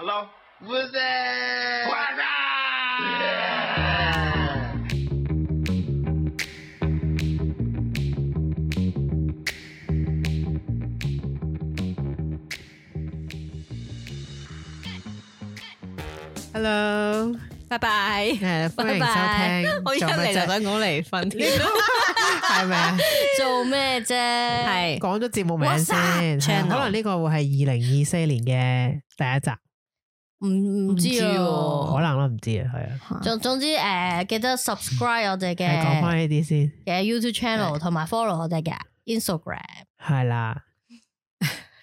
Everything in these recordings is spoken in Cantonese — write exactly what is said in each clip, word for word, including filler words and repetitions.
Hello， Who's there？ What's up？Hello， 拜拜，係歡迎收聽。我一嚟就想講離婚添，係咪啊？做咩啫？係講咗節目名先，可能呢個會係二零二四年嘅第一集，唔唔知啊，可能都唔知啊，係啊。總總之誒，記得 subscribe 我哋嘅，講翻呢啲先嘅 YouTube channel 同埋 follow 我哋嘅 Instagram。係啦，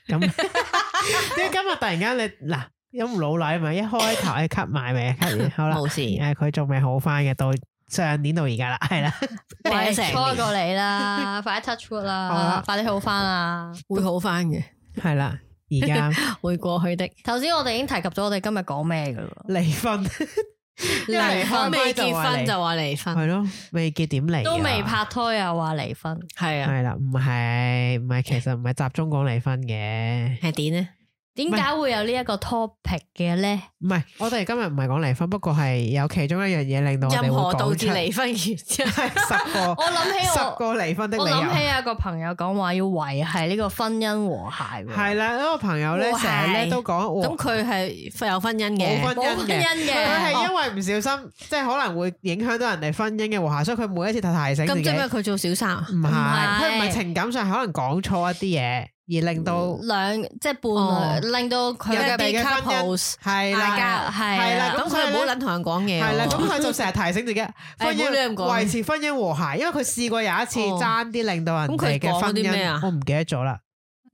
咁點解今日突然間你嗱？有冇老禮咪一開頭係 cut 埋未 cut 完好啦，冇事。誒，佢仲未好翻嘅，到上年到而家啦，係啦，快啲拖過嚟啦，快啲 touch wood 啦，快啲好翻啦，會好翻嘅，係啦，而家會過去的。頭先我哋已經提及咗我哋今日講咩噶啦，離婚，離婚未結婚就話離婚，係咯，未結點離，都未拍拖又話離婚，係啊，係啦，唔係唔係，其實唔係集中講離婚嘅，係點咧？點解會有呢一個 topic 嘅咧？唔係，我哋今日唔係講離婚，不過係有其中一樣嘢令到我哋會任何導講出致離婚原因，十個，我諗起我十個離婚的理由。我諗起有個朋友講話要維繫呢個婚姻和諧。係啦，嗰個朋友咧成日咧都講，咁佢係有婚姻嘅，冇婚姻嘅，佢係因為唔小心，即係可能會影響到人哋婚姻嘅和諧，所以佢每一次提提醒自己。咁即係佢做小三？唔係，佢唔係情感上可能講錯一啲嘢。而令到兩即係伴侶，令到佢嘅啲 couple 係啦，係啦，咁佢唔好撚同人講嘢。係啦，咁佢就成日提醒自己婚姻維持婚姻和諧，因為佢試過有一次爭啲令到人哋嘅婚姻，我唔記得咗啦。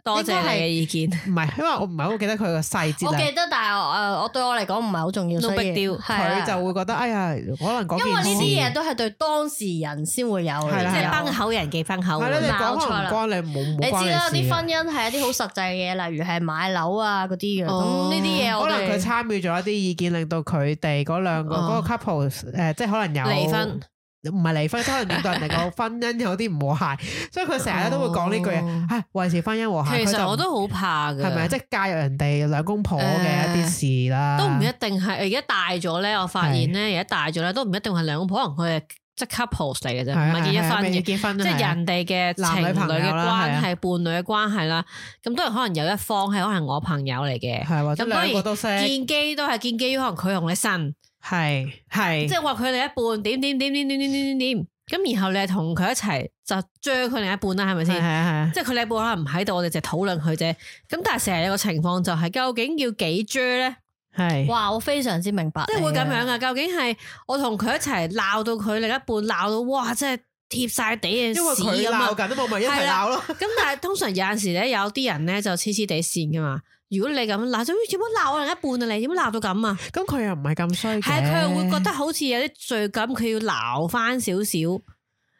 多謝你嘅意見。唔係，因為我唔係好記得佢個細節。我記得，但係誒，我對我嚟講唔係好重要，所以佢就會覺得哎呀，可能講件事。因為呢啲嘢都係對當事人先會有，即係崩口人忌崩口。係啦，你講可能唔關你冇冇關你事。你知啦，啲婚姻係一啲好實際嘅嘢，例如係買樓啊嗰啲嘅。咁呢啲嘢，可能佢參與咗一啲意見，令到佢哋嗰兩個嗰個 couple 誒，即係可能有離婚。唔係離婚，可能令到人哋個婚姻有啲唔和諧，所以佢成日都會講呢句嘢，唉，維持婚姻和諧。其實我都好怕嘅，係咪？即係介入人哋兩公婆嘅一啲事啦，都唔一定係。而家大咗咧，我發現咧，而家大咗咧，都唔一定係兩公婆，可能佢係即係 couple 嚟嘅啫，唔係結咗婚嘅，結婚即係人哋嘅情侶嘅關係、伴侶嘅關係啦。咁當然可能有一方係可能我朋友嚟嘅，咁兩個都識。建基都係建基於可能佢同你呻。係係，即係話佢另一半點點點點點點點點，咁然後你係同佢一齊就追佢另一半啦，係咪先？係係，即係佢另一半可能唔喺度，我哋就討論佢啫。咁但係成日有個情況就係、是，究竟要幾追咧？係，哇！我非常之明白，即係會咁樣啊？究竟係我同佢一齊鬧到佢另一半鬧到哇，真係貼晒地嘅屎咁啊！因為佢鬧緊都冇咪一齊鬧咯。咁但係通常有陣時咧，有啲人咧就黐黐地線噶嘛。如果你咁鬧，做咩做乜鬧我另一半啊？你點解鬧到咁啊？咁佢又唔係咁衰嘅，係佢又會覺得好似有啲罪感，佢要鬧翻少少。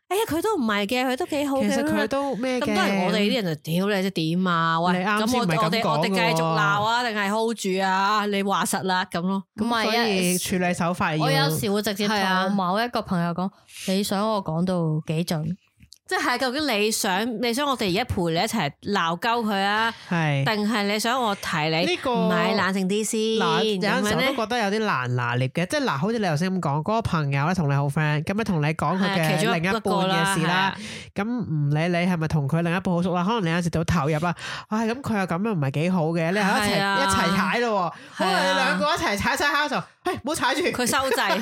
哎呀，佢都唔係嘅，佢都幾好嘅。其實佢都咩嘅？咁當然我哋啲人就屌你即點啊？喂，咁我我哋我哋繼續鬧啊，定係 hold 住啊？你話實啦咁咯。咁所以處理手法要，我有時會直接同某一個朋友講：你想我講到幾準？即係究竟你想你想我哋而家陪你一齊鬧鳩佢啊？係定係你想我提你？呢個唔係冷靜啲先。嗱，有陣時我都覺得有啲難拿捏嘅，即係嗱，好似你頭先咁講，嗰個朋友咧同你好 friend，咁樣同你講佢嘅另一半嘅事啦，咁唔理你係咪同佢另一半好熟啦，可能你有陣時都投入啦，唉，咁佢又咁樣唔係幾好嘅，你係一齊一齊踩咯，可能你兩個一齊踩踩下就，嘿，唔好踩住佢收掣。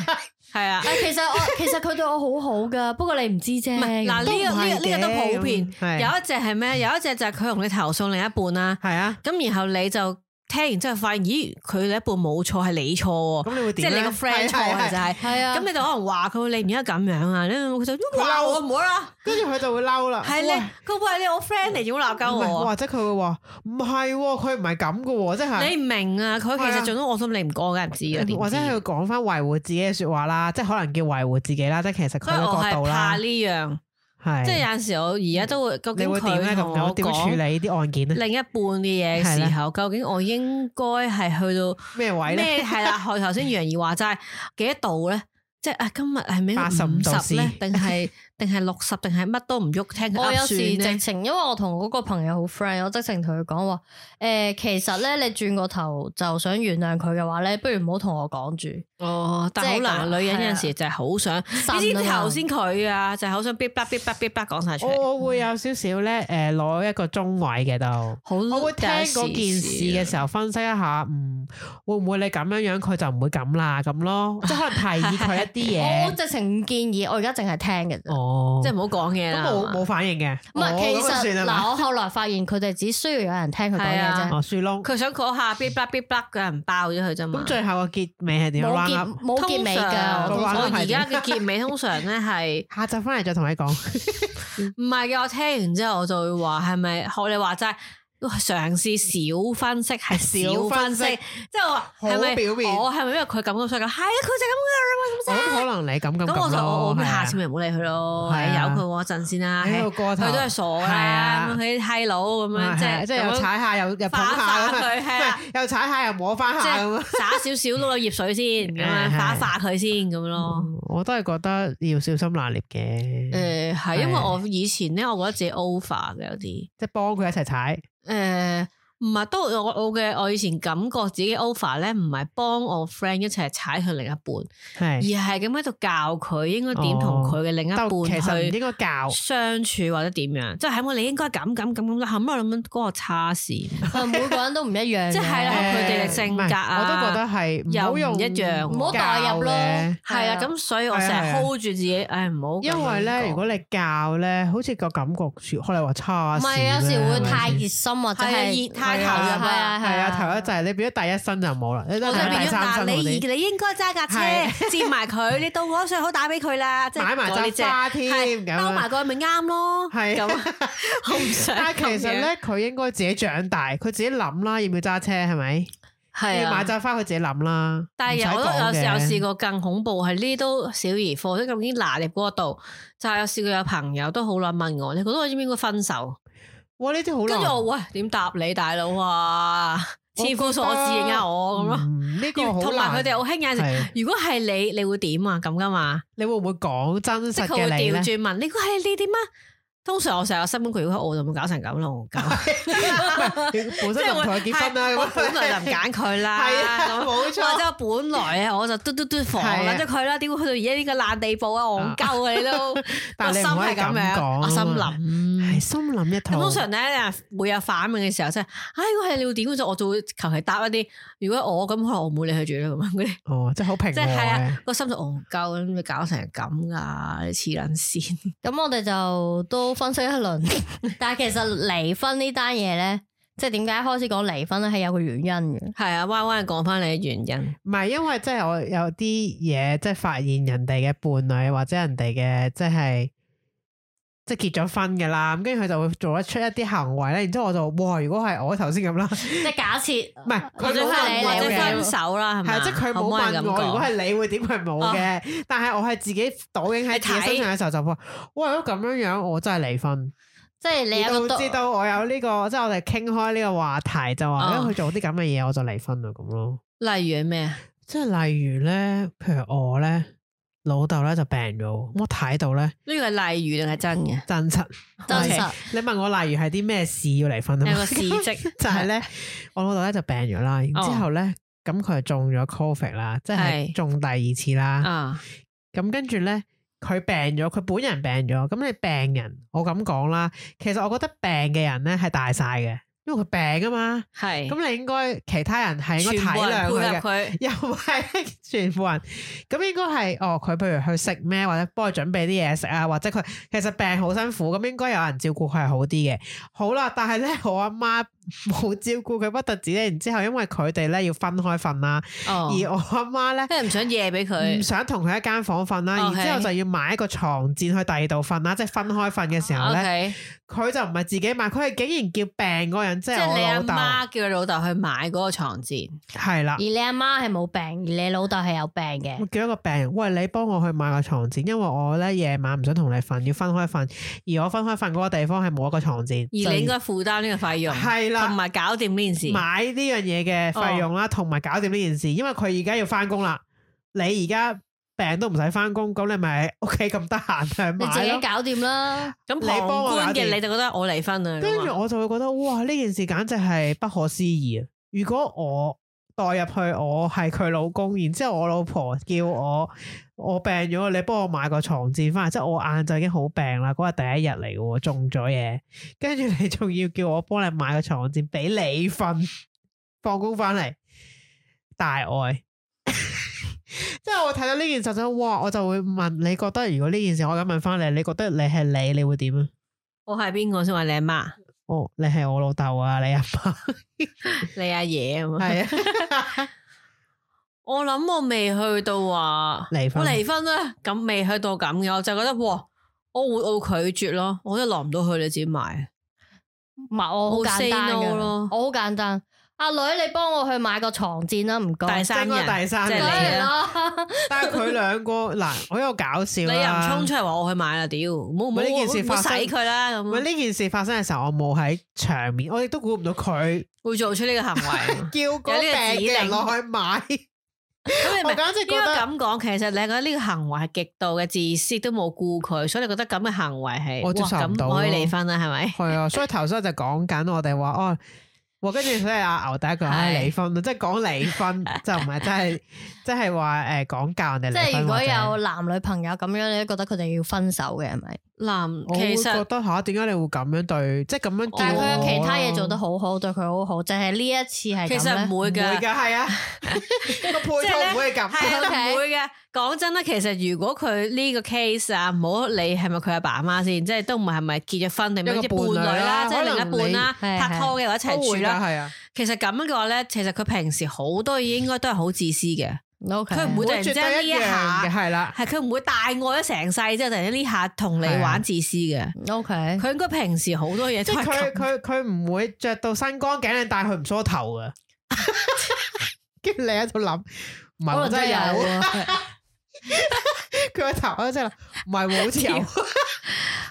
係啊，其實我其實佢對我好好噶，不過你唔知啫。嗱，呢個呢個呢個都普遍。有一隻係咩？有一隻就係佢同你投訴另一半啦。係啊，咁然後你就聽完之後發現，咦，佢另一半冇錯，係你錯喎。咁你會點？即係你個 friend 錯就係。係啊。咁你就可能話佢，你唔應該咁樣啊！佢就鬧我唔好啦。跟住佢就會嬲啦。係咧，佢話你我 friend 嚟，點會鬧交我？或者佢會話唔係，佢唔係咁噶，即係你唔明啊！佢其實做到我心，你唔講，梗係唔知啊。或者佢講翻維護自己嘅說話啦，即係可能叫維護自己啦，即係其實佢嘅角度啦。怕呢樣。係，即係有陣時我而家都會，究竟佢同我點處理啲案件咧？另一半嘅嘢嘅時候，究竟我應該係去到咩位咧？咩係啦？頭先楊怡話齋幾多度咧？即係啊，今日係咩五十咧？定係定係六十，定係乜都唔喐聽佢噏算咧？我有時直情，因為我同嗰個朋友好 friend，我直情同佢講話，誒、呃，其實咧你轉個頭就想原諒佢嘅話咧，不如唔好同我講住。哦，但係好難，女人有陣時就係好想，你知頭先佢啊，就係好想嗶叭嗶叭嗶叭講晒出嚟。我會有少少咧，誒，攞一個中位嘅都，我會聽嗰件事嘅時候分析一下，嗯，會唔會你咁樣樣佢就唔會咁啦，咁咯，即係可能提議佢一啲嘢。我直情唔建議，我而家淨係聽嘅啫。哦，即係唔好講嘢啦。冇冇反應嘅。唔係，其實嗱，我後來發現佢哋只需要有人聽佢講嘢啫。哦，樹窿。佢想嗰下嗶叭嗶叭嘅人爆咗佢啫嘛。咁最後個結尾係點？冇結冇結尾噶。我而家嘅結尾通常咧係下集翻嚟再同你講。唔係嘅，我聽完之後我就會話係咪學你話齋？嘗試小分析係小分析，即係話係咪表面？我係咪因為佢咁咁所以咁？係啊，佢就咁噶啦，咁可能你咁咁咁我就我我下次咪唔好理佢咯，由佢嗰陣先啦。佢都係傻嘅，佢閪佬咁樣，即係即係又踩下又又捧下佢，係又踩下又摸翻下咁，灑少少攞個熱水先咁樣，化一化佢先咁咯。我都係覺得要小心拿捏嘅。誒，係因為我以前咧，我覺得自己 over 嘅有啲，即係幫佢一齊踩。誒，唔係都我我嘅我以前感覺自己 over 咧，唔係幫我 friend 一齊踩佢另一半，係而係咁喺度教佢應該點同佢嘅另一半其實去應該教相處或者點樣，即係喺我你應該咁咁咁咁，後尾我諗緊嗰個差線，每個人都唔一樣，即係啦，佢哋嘅性格啊，我都覺得係又唔一樣，唔好代入咯，係啊，咁所以我成日 hold 住自己，誒唔好，因為咧如果你教咧，好似個感覺可能話差線，唔係有時會太熱心或者係太投入啊，係啊，頭一就係你變咗第一身就冇啦，你都係第三身嗰啲。你你應該揸架車接埋佢，你到嗰歲好打俾佢啦，即係買埋紮花添，包埋佢咪啱咯。係咁，我唔想。但係其實咧，佢應該自己長大，佢自己諗啦，要唔要揸車係咪？係啊，買紮花佢自己諗啦。但係我都有時有試過更恐怖，係呢都小兒科，即係究竟拿捏嗰度，就係有試過有朋友都好難問我，你覺得我應唔應該分手？哇！呢啲好難，跟住我喂點答你大佬啊？千夫所指應啊我咁咯。呢個好難，同埋佢哋好興有陣時，如果係你，你會點啊？咁噶嘛？你會唔會講真實嘅你咧？即係佢會調轉問，你估係你點啊？通常我成日新聞佢如果我就冇搞成咁咯，我搞。本身就唔同佢結婚啦，我本來就唔揀佢啦。係啊，冇錯。或者本來啊，我就嘟嘟嘟防撚咗佢啦。點會去到而家呢個爛地步啊？戇鳩啊你都。但係你唔可以咁講。我心諗，係心諗一套。通常咧，會有反問嘅時候，即係，唉，如果係你要點嘅時候，我就會求其答一啲。如果我咁，可能我唔會理佢住啦，咁樣嗰啲。哦，即係好平。即係係啊，個心就戇鳩，你搞成咁噶，你黐撚線。咁我哋就都分析一輪，但係其實離婚呢單嘢咧，即係點解開始講離婚咧，係有個原因嘅。係啊，彎彎講翻你嘅原因，唔係因為即係我有啲嘢，即係發現人哋嘅伴侶或者人哋嘅即係即係結咗婚嘅啦，咁跟住佢就會做得出一啲行為咧，然之後我就哇，如果係我頭先咁啦，即係假設唔係佢冇問我嘅分手啦，係咪？係即係佢冇問我，如果係你會點？佢冇嘅，但係我係自己倒影喺自己身上嘅時候就話，哇！如果咁樣樣，我真係離婚。即係你有知道我有呢個，即係我哋傾開呢個話題，就話因為佢做啲咁嘅嘢，我就離婚啦咁咯。例如咩啊？即係例如咧，譬如我咧。老豆咧就病咗，我睇到咧呢個係例如定係真嘅？真實真實。你問我例如係啲咩事要離婚啊？有個事蹟就係咧，我老豆咧就病咗啦，然之後咧咁佢係中咗 Covid 啦，即係中第二次啦。咁跟住咧佢病咗，佢本人病咗。咁你病人，我咁講啦，其實我覺得病嘅人咧係大晒嘅。因為佢病啊嘛，係咁你應該其他人係應該體諒佢嘅，又係全部人咁應該係哦。佢譬如去食咩，或者幫佢準備啲嘢食啊，或者佢其實病好辛苦，咁應該有人照顧佢係好啲嘅。好啦，但係咧我阿媽冇照顧佢不特止咧，然之後因為佢哋咧要分開瞓啦，哦、而我阿媽咧即係唔想夜俾佢，唔想同佢一間房瞓啦，哦、然之後就要買一個床墊去第二度瞓啦，即係分開瞓嘅時候咧，佢、哦、就唔係自己買，佢係竟然叫病嗰人。即係你阿媽叫佢老豆去買嗰個床墊，係啦。而你阿媽係冇病，而你老豆係有病嘅。我叫一個病人，喂，你幫我去買個床墊，因為我咧夜晚唔想同你瞓，要分開瞓。而我分開瞓嗰個地方係冇一個床墊，而你應該負擔呢個費用，係啦，同埋搞掂呢件事，買呢樣嘢嘅費用啦，同埋、哦、搞掂呢件事。因為佢而家要翻工啦，你而家病都唔使翻工，咁你咪喺屋企咁得閒去買咯，你自己搞掂啦。咁旁觀嘅你就覺得我離婚啊？跟住我就會覺得哇，呢件事簡直係不可思議啊！如果我代入去我係佢老公，然之後我老婆叫我我病咗，你幫我買個床墊翻嚟，即係我晏晝已經好病啦，嗰日第一日嚟嘅，中咗嘢，跟住你仲要叫我幫你買個床墊俾你瞓，放工翻嚟大愛。即係我睇到呢件事就哇，我就會問你覺得如果呢件事我咁問翻你，你覺得你係你，你會點啊？我係邊個先話你阿媽？哦，你係我老豆啊，你阿媽，你阿爺啊嘛？係啊。我諗我未去到話離婚，我離婚啦，咁未去到咁嘅，我就覺得哇，我會我會拒絕咯，我都落唔到去，你自己買。唔係我好簡單嘅咯，我好簡單。阿女，你幫我去買個床墊啦，唔該。第三人，第三人即係你啦。但係佢兩個嗱，好有搞笑啦。你又唔衝出嚟話我去買啦，屌！唔好呢件事發生，使佢啦咁。唔係呢件事發生嘅時候，我冇喺場面，我亦都估唔到佢會做出呢個行為，叫個病嘅人落去買。咁你咪簡直覺得咁講，其實你覺得呢個行為係極度嘅自私，都冇顧佢，所以你覺得咁嘅行為係我接受唔到，可以離婚啦，係咪？係啊，所以頭先就講緊我哋話哦。跟住所以阿牛第一句係離婚，即係講離婚就唔係真係，即係話誒講教人哋離婚。即係如果有男女朋友咁樣，你都覺得佢哋要分手嘅係咪？男其實覺得吓，點解你會咁樣對？即係咁樣，但係佢有其他嘢做得好好，對佢好好，就係呢一次係咁咧。其實唔會嘅，唔會嘅，係啊，個配套唔會咁，係唔會嘅。講真啦，其實如果佢呢個 case 啊，唔好理係咪佢阿爸阿媽先，即係都唔係係咪結咗婚定咩伴侶啦，即係另一半啦，拍拖嘅或者一齊住啦。係啊，其實咁樣嘅話咧，其實佢平時好多嘢應該都係好自私嘅。佢唔會突然之間呢一下係啦，係佢唔會大愛咗成世，即係突然間呢下同你玩自私嘅。O K，佢應該平時好多嘢，即係佢佢佢唔會着到身光頸靚，但係佢唔梳頭嘅。跟住你喺度諗，唔係我真係有啊。佢個頭啊，真係唔係好似有。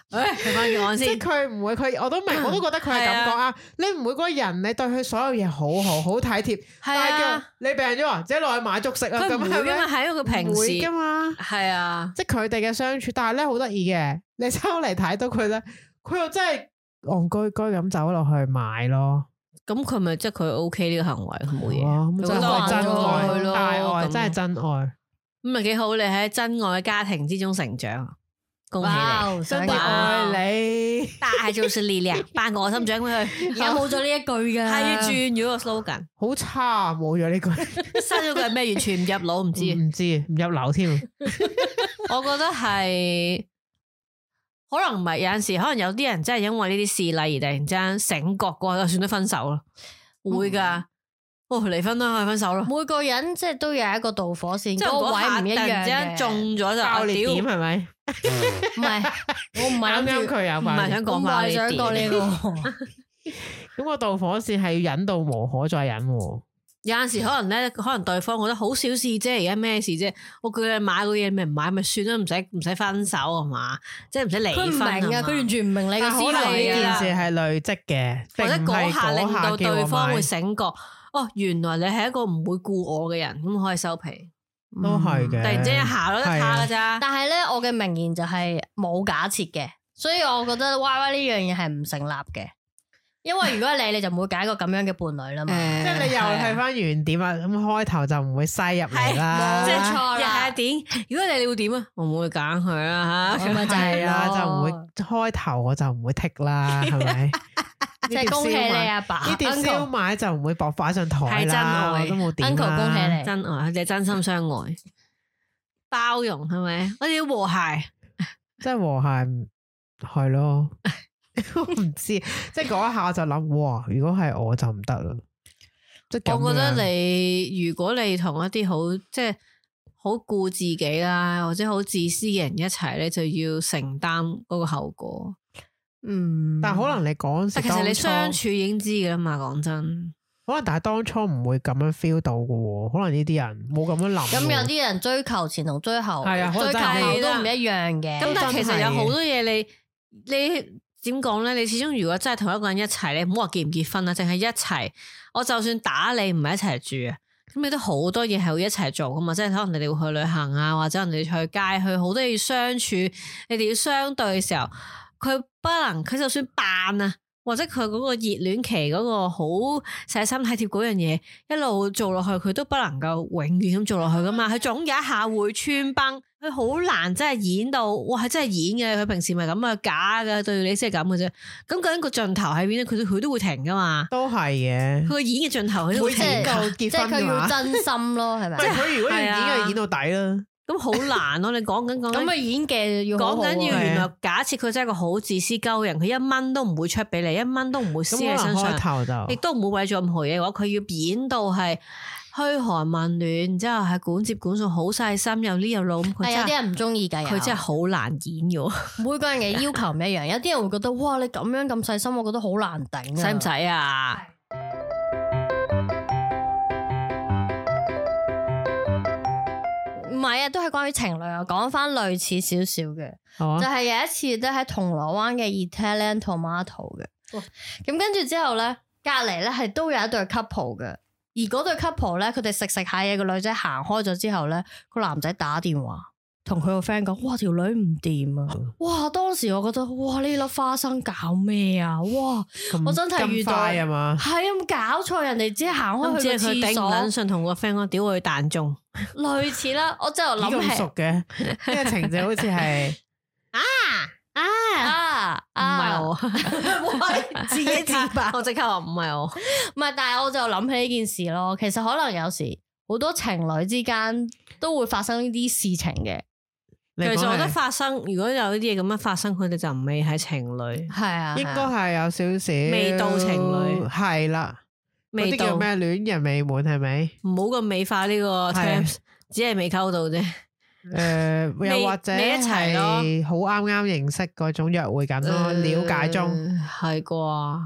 誒，佢翻叫我先。即係佢唔會，佢我都明，我都覺得佢係咁講啊。你唔會嗰個人，你對佢所有嘢好好，好體貼。但係叫你病咗啊，自己落去買粥食啊。咁係咪？係因為佢平時噶嘛。係啊，即係佢哋嘅相處，但係咧好得意嘅。你抽嚟睇到佢咧，佢又真係戇居居咁走落去買咯。咁佢咪即係佢 O K 呢個行為，佢冇嘢。真係真愛咯，大愛真係真愛。咁咪幾好？你喺真愛嘅家庭之中成長。恭喜你，真係愛你，大就是力量，扮我心掌俾佢。有冇咗呢一句噶？係要轉咗個 slogan，好差，冇咗呢句。新咗句係咩？完全唔入腦，唔知，唔知，唔入腦添。我覺得係可能唔係，有陣時可能有啲人真係因為呢啲事例而突然之間醒覺過，就算得分手咯，會噶。哦，離婚啦，分手咯。每個人即係都有一個導火線，即係個位唔一樣嘅。中咗就爆裂點係咪？唔係，我唔係諗住佢有，唔係想講爆裂點。想講呢個。咁個導火線係要忍到無可再忍。有陣時可能咧，可能對方覺得好小事啫，而家咩事啫？我叫你買個嘢，咪唔買咪算啦，唔使唔使分手係嘛？即係唔使離婚。佢唔明啊，佢完全唔明你嘅思維啊。呢件事係累積嘅，或者嗰下令到對方會醒覺。哦，原來你係一個唔會顧我嘅人，咁可以收皮，都係嘅。突然之間一下都得下噶咋？但係咧，我嘅名言就係冇假設嘅，所以我覺得 Y Y 呢樣嘢係唔成立嘅。因為如果你你就唔會揀一個咁樣嘅伴侶啦嘛，即係你又去翻原點啊！咁開頭就唔會篩入嚟啦，即係錯啦。點？如果你你會點啊？我唔會揀佢啦吓，咁咪就係啦，就唔會開頭我就唔會剔啦，係咪？即係恭喜你阿爸，呢碟燒賣就唔會薄擺上台啦，係真愛都冇點啦。Uncle 恭喜你，真愛，你真心相愛，包容係咪？我哋要和諧，即係和諧係咯。我唔知，即係嗰一下我就諗，哇！如果係我就唔得啦。即係我覺得你，如果你同一啲好即係好顧自己啦，或者好自私嘅人一齊咧，就要承擔嗰個後果。嗯，但係可能你嗰時，其實你相處已經知噶啦嘛。講真，可能但係當初唔會咁樣 feel 到噶，可能呢啲人冇咁樣諗。咁有啲人追求前同追後，係啊，追求後都唔一樣嘅。咁但係其實有好多嘢，你你。點講咧？你始終如果真係同一個人一齊，你唔好話結唔結婚啦，淨係一齊。我就算打你唔係一齊住啊，咁你都好多嘢係會一齊做噶嘛，即係可能你哋會去旅行啊，或者人哋去街去好多嘢要相處，你哋要相對嘅時候，佢不能佢就算扮啊，或者佢嗰個熱戀期嗰個好細心體貼嗰樣嘢一路做落去，佢都不能夠永遠咁做落去噶嘛，佢總有一下會穿崩，佢好難真係演到，哇係真係演嘅，佢平時咪咁啊假嘅，對你先係咁嘅啫。咁究竟個盡頭喺邊咧？佢佢都會停噶嘛。都係嘅。佢個演嘅盡頭佢都會停㗎。即係佢要真心咯，係咪？即係佢如果要演嘅演到底啦。咁好難咯！你講緊講緊，咁啊演技要講緊要原來假設佢真係一個好自私鳩人，佢一蚊都唔會出俾你，一蚊都唔會撕喺身上，亦都唔會為咗任何嘢嘅話，佢要演到係噓寒問暖，然之後係管接管送，好細心又呢又老咁。係有啲人唔中意㗎，佢真係好難演嘅。每個人嘅要求唔一樣，有啲人會覺得哇，你咁樣咁細心，我覺得好難頂啊！使唔使啊？唔係啊，都係關於情侶啊，講翻類似少少嘅，啊、就係有一次都喺銅鑼灣嘅 Italian Tomato 嘅，咁、哦、跟住之後咧，隔籬咧係都有一對 couple 嘅，而嗰對 couple 咧，佢哋食食下嘢，個女仔行開咗之後咧，個男仔打電話同佢個 friend 講，哇條女唔掂啊，哇當時我覺得，哇呢粒花生搞咩啊，哇麼我真係遇到係啊咁搞錯，人哋只係行開去個廁所，頂唔撚順同個 friend 講，屌佢彈中。類似啦，我就諗起咁熟嘅，呢個情節好似係啊啊啊，唔係我自己自爆，我即刻話唔係我，唔係，但係我就諗起呢件事咯。其實可能有時好多情侶之間都會發生呢啲事情嘅。其實我覺得發生，如果有呢啲嘢咁樣發生，佢哋就唔係係情侶，係啊，應該係有少少未到情侶，係啦。嗰啲叫咩戀人未滿係咪？唔好咁美化呢個 terms，只係未溝到啫。誒，又或者係好啱啱認識嗰種約會緊咯，了解中係啩？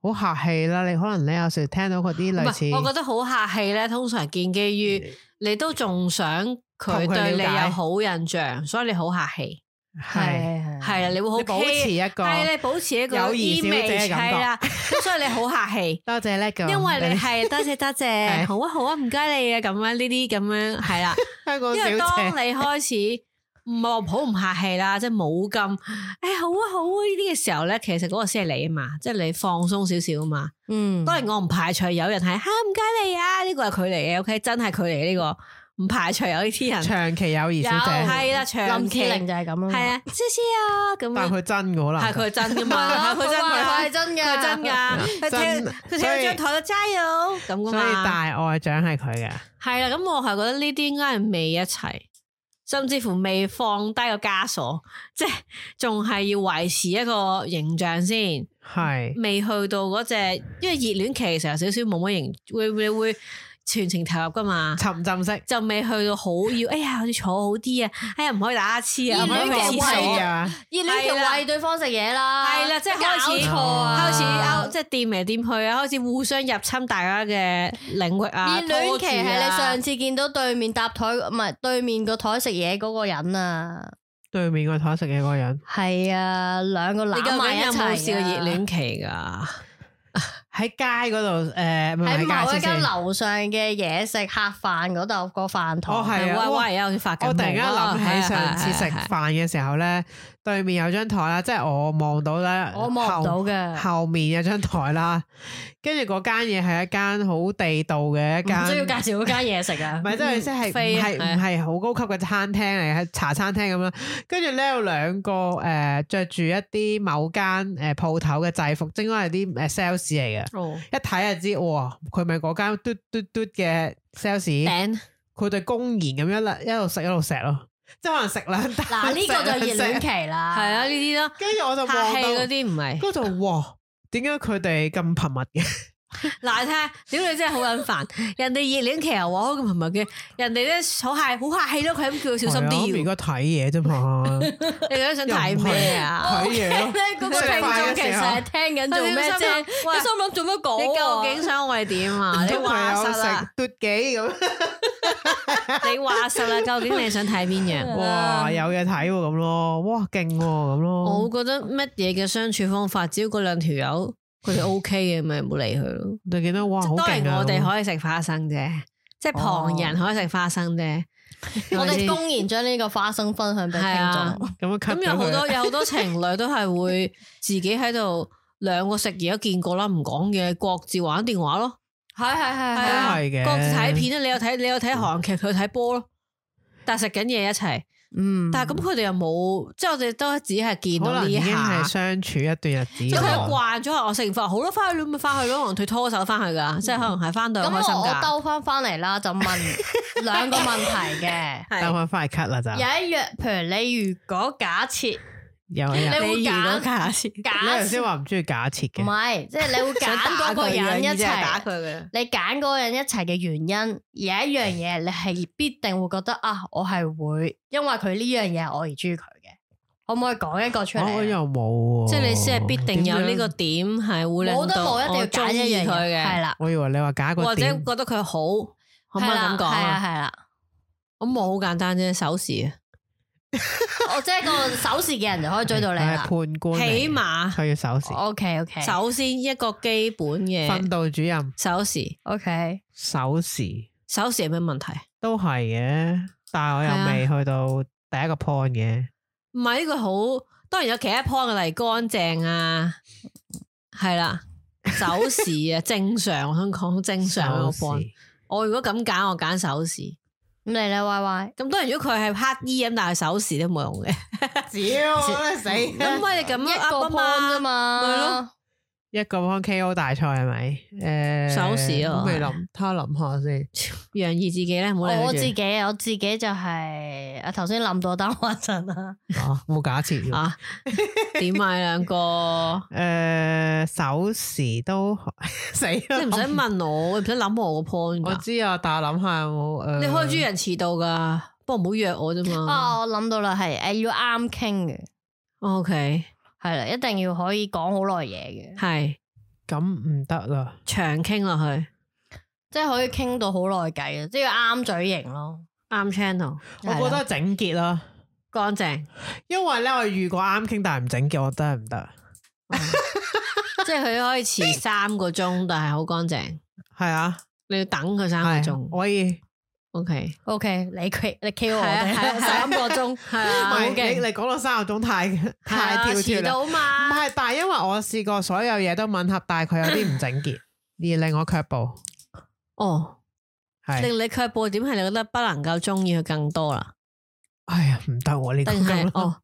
好客氣啦，你可能你有時聽到嗰啲類似，我覺得好客氣咧，通常建基於你都仲想佢對你有好印象，所以你好客氣。係係啦，你會好保持一個係你保持一個友誼小姐嘅感覺，係啦，咁所以你好客氣，多謝叻嘅，因為你係多謝多謝，好啊好啊，唔該你啊，咁樣呢啲咁樣係啦，香港小姐，因為當你開始唔係話好唔客氣啦，即係冇咁誒好啊好啊呢啲嘅時候咧，其實嗰個先係你啊嘛，即係你放鬆少少啊嘛，嗯，當然我唔排除有人係吓唔該你啊，呢個係佢嚟嘅，OK，真係佢嚟嘅呢個。唔排除有呢啲人長期友誼小姐係啦，長期林志玲就係咁咯，係啊，謝謝啊咁。但係佢真嘅可能係佢真噶嘛，佢真嘅，佢係真嘅，佢真噶，佢聽佢聽張台度加油咁噶嘛。所以大愛獎係佢嘅。係啦，咁我係覺得呢啲應該係未一齊，甚至乎未放低個枷鎖，即係仲係要維持一個形象先。係未去到嗰隻，因為熱戀期成日少少冇乜形，會會會。全程投入噶嘛，沉浸式就未去到好要，哎呀，好似坐好啲啊，哎呀，唔可以打乞嗤啊，唔可以去廁所啊，熱戀期餵對方食嘢啦，係啦，即係開始錯啊，開始即係掂嚟掂去啊，開始互相入侵大家嘅領域啊，熱戀期係你上次見到對面搭台唔係對面個台食嘢嗰個人啊，對面個台食嘢嗰個人係啊，兩個攬埋一齊啊，你究竟有冇試過熱戀期噶？喺街嗰度，誒，喺某一間樓上嘅嘢食客飯嗰度個飯堂。哦，係啊，哇，而家好似發緊夢。我突然間諗起上次食飯嘅時候咧，對面有張台啦，即係我望到咧，我望唔到嘅後面有張台啦，跟住嗰間嘢係一間好地道嘅一間。唔需要介紹嗰間嘢食啊？唔係，即係即係唔係唔係好高級嘅餐廳嚟，係茶餐廳咁啦。跟住咧有兩個誒着住一啲某間誒鋪頭嘅制服，應該係啲誒 sales 嚟嘅。哦，一睇就知，哇！佢咪嗰間嘟嘟嘟嘅 sales，佢哋公然咁樣啦，一路食一路食咯，即係可能食兩啖。嗱，呢個就熱戀期啦，係啊，呢啲咯。跟住我就望到嗰啲唔係，嗰度哇，點解佢哋咁頻密嘅？嗱，你睇下，屌你真係好撚煩！人哋熱戀期又話咁頻密嘅，人哋咧好係好客氣咯，佢咁叫佢小心啲。而家睇嘢啫嘛，你而家想睇咩啊？睇嘢咯。嗰個聽眾其實係聽緊做咩啫？你心諗做乜講？你究竟想我哋點啊？你話實啦，嘟幾咁。你話實啦，究竟你想睇邊樣？哇，有嘢睇咁咯，哇，勁咁咯。我覺得乜嘢嘅相處方法，只要嗰兩條友。佢哋 OK 嘅，咪唔好理佢咯。你見到哇，好勁啊！當然我哋可以食花生啫，即係旁人可以食花生啫。我哋公然將呢個花生分享俾聽眾。咁咁有好多有好多情侶都係會自己喺度兩個食嘢都見過啦，唔講嘢，各自玩電話咯。係係係係啊，係嘅。各自睇片啊，你有睇你有睇韓劇，佢睇波咯，但係食緊嘢一齊。嗯，但係咁佢哋又冇，即係我哋都只係見到呢下，已經係相處一段日子。即係佢慣咗，我食完飯好啦，翻去你咪翻去咯，可能佢拖手翻去噶，即係可能係翻到開心噶。咁我兜翻翻嚟啦，就問兩個問題嘅，兜翻翻嚟 cut 啦就。有一樣，譬如你如果假設。有你會揀假設，假你頭先話唔中意假設嘅，唔係，即係你會揀嗰個人一齊打佢嘅。你揀嗰個人一齊嘅原因，有一樣嘢你係必定會覺得啊，我係會因為佢呢樣嘢我而中意佢嘅，可唔可以講一個出嚟？我又冇，即係你先係必定有呢個點係會令到我中意佢嘅，係啦。我以為你話揀個或者覺得佢好，可唔可以咁講啊？係啊係啦，咁冇好簡單啫，手勢啊。我即係個守時嘅人就可以追到你啦，判官起碼佢要守時。O K O K，首先一個基本嘅訓導主任守時。O K，守時守時有咩問題？都係嘅，但係我又未去到第一個 point 嘅。唔係呢個好，當然有其他 point 嘅，例如乾淨啊，係啦，守時啊，正常。我想講正常個 point。我如果咁揀，我揀守時。咁嚟啦 Y Y， 咁當然如果佢係乞衣咁，但係守時都冇用嘅。屌，死！咁咪你咁一個 point 啫嘛，係咯，一個 point K O 大賽係咪？誒，守時啊，未諗，他諗下先。楊怡自己咧，唔好理佢。我自己，我自己就係啊，頭先諗到單話陣啦。啊，冇假設啊？點買兩個？誒，守時都死啦！你唔使問我，唔使諗我個 point。我知啊，但係諗下有冇誒？你可以中意人遲到噶，不過唔好約我啫嘛。啊，我諗到啦，係誒要啱傾嘅。O K。係啦，一定要可以講好耐嘢嘅。係，咁唔得啦，長傾落去，即係可以傾到好耐偈啊！即係要啱嘴型咯，啱 channel。我覺得整潔啦，乾淨。因為咧，我遇過啱傾但係唔整潔，我覺得係唔得。即係佢可以遲三個鐘，但係好乾淨。係啊，你要等佢三個鐘。可以。O K O K，你 K 你 K 我哋三個鐘，係啊，你你講到三個鐘太太跳脫啦。到嘛？唔係，但係因為我試過所有嘢都吻合，但係佢有啲唔整潔，而令我卻步。哦，係令你卻步點係你覺得不能夠中意佢更多啦？哎呀，唔得喎呢個咁哦，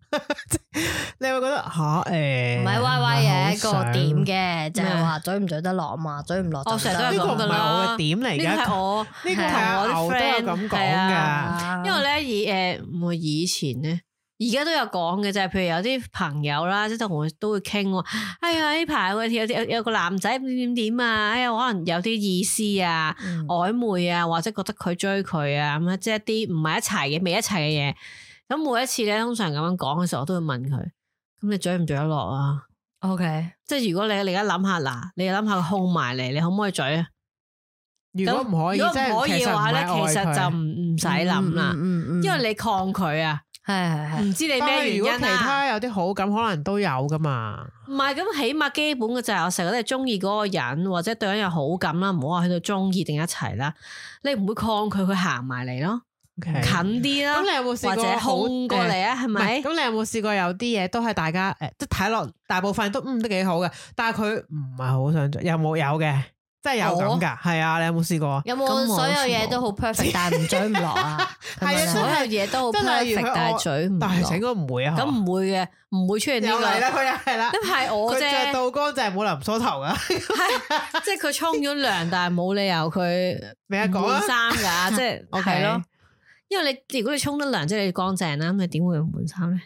你會覺得吓誒？唔係 Y Y 嘅一個點嘅，就係話嘴唔嘴得落嘛，嘴唔落。我成日都係講噶啦，呢個唔係我嘅點嚟嘅，呢個係我呢個係我啲 friend 咁講噶。因為咧以誒唔會以前咧，而家都有講嘅就係，譬如有啲朋友啦，即係同我都會傾喎。哎呀呢排有有有有個男仔點點點啊，哎呀可能有啲意思啊、曖昧啊，或者覺得佢追佢啊咁啊，即係一啲唔係一齊嘅、未一齊嘅嘢。咁每一次咧，通常咁樣講嘅時候，我都會問佢：咁你追唔追得落啊 ？OK，即係如果你你而家諗下嗱，你諗下佢控埋嚟，你可唔可以追啊？如果唔可以，如果唔可以嘅話咧，其實就唔唔使諗啦，因為你抗拒啊，係係係，唔知你咩原因啊。如果其他有啲好感，可能都有噶嘛。唔係咁，起碼基本嘅就係我成日都係中意嗰個人，或者對人有好感啦，唔好話去到中意定一齊啦。你唔會抗拒佢行埋嚟咯。Okay. 近啲啦，咁你有冇試過或者控過嚟啊？係咪？咁你有冇試過有啲嘢都係大家誒，即係睇落大部分都嗯都幾好嘅，但係佢唔係好想追，有冇有嘅？真係有咁噶？係啊，你有冇試過？有冇所有嘢都好 perfect，但係唔追唔落啊？係啊，所有嘢都好 perfect，但係追唔落，但係應該唔會啊。咁唔會嘅，唔會出現呢個。係啦，佢又係啦。咁係我啫。佢着到乾淨冇淋梳頭噶。係，即係佢沖咗涼，但係冇理由佢唔換衫噶，即係係咯。因為你如果你沖得涼，即係你乾淨啦，咁你點會換衫咧？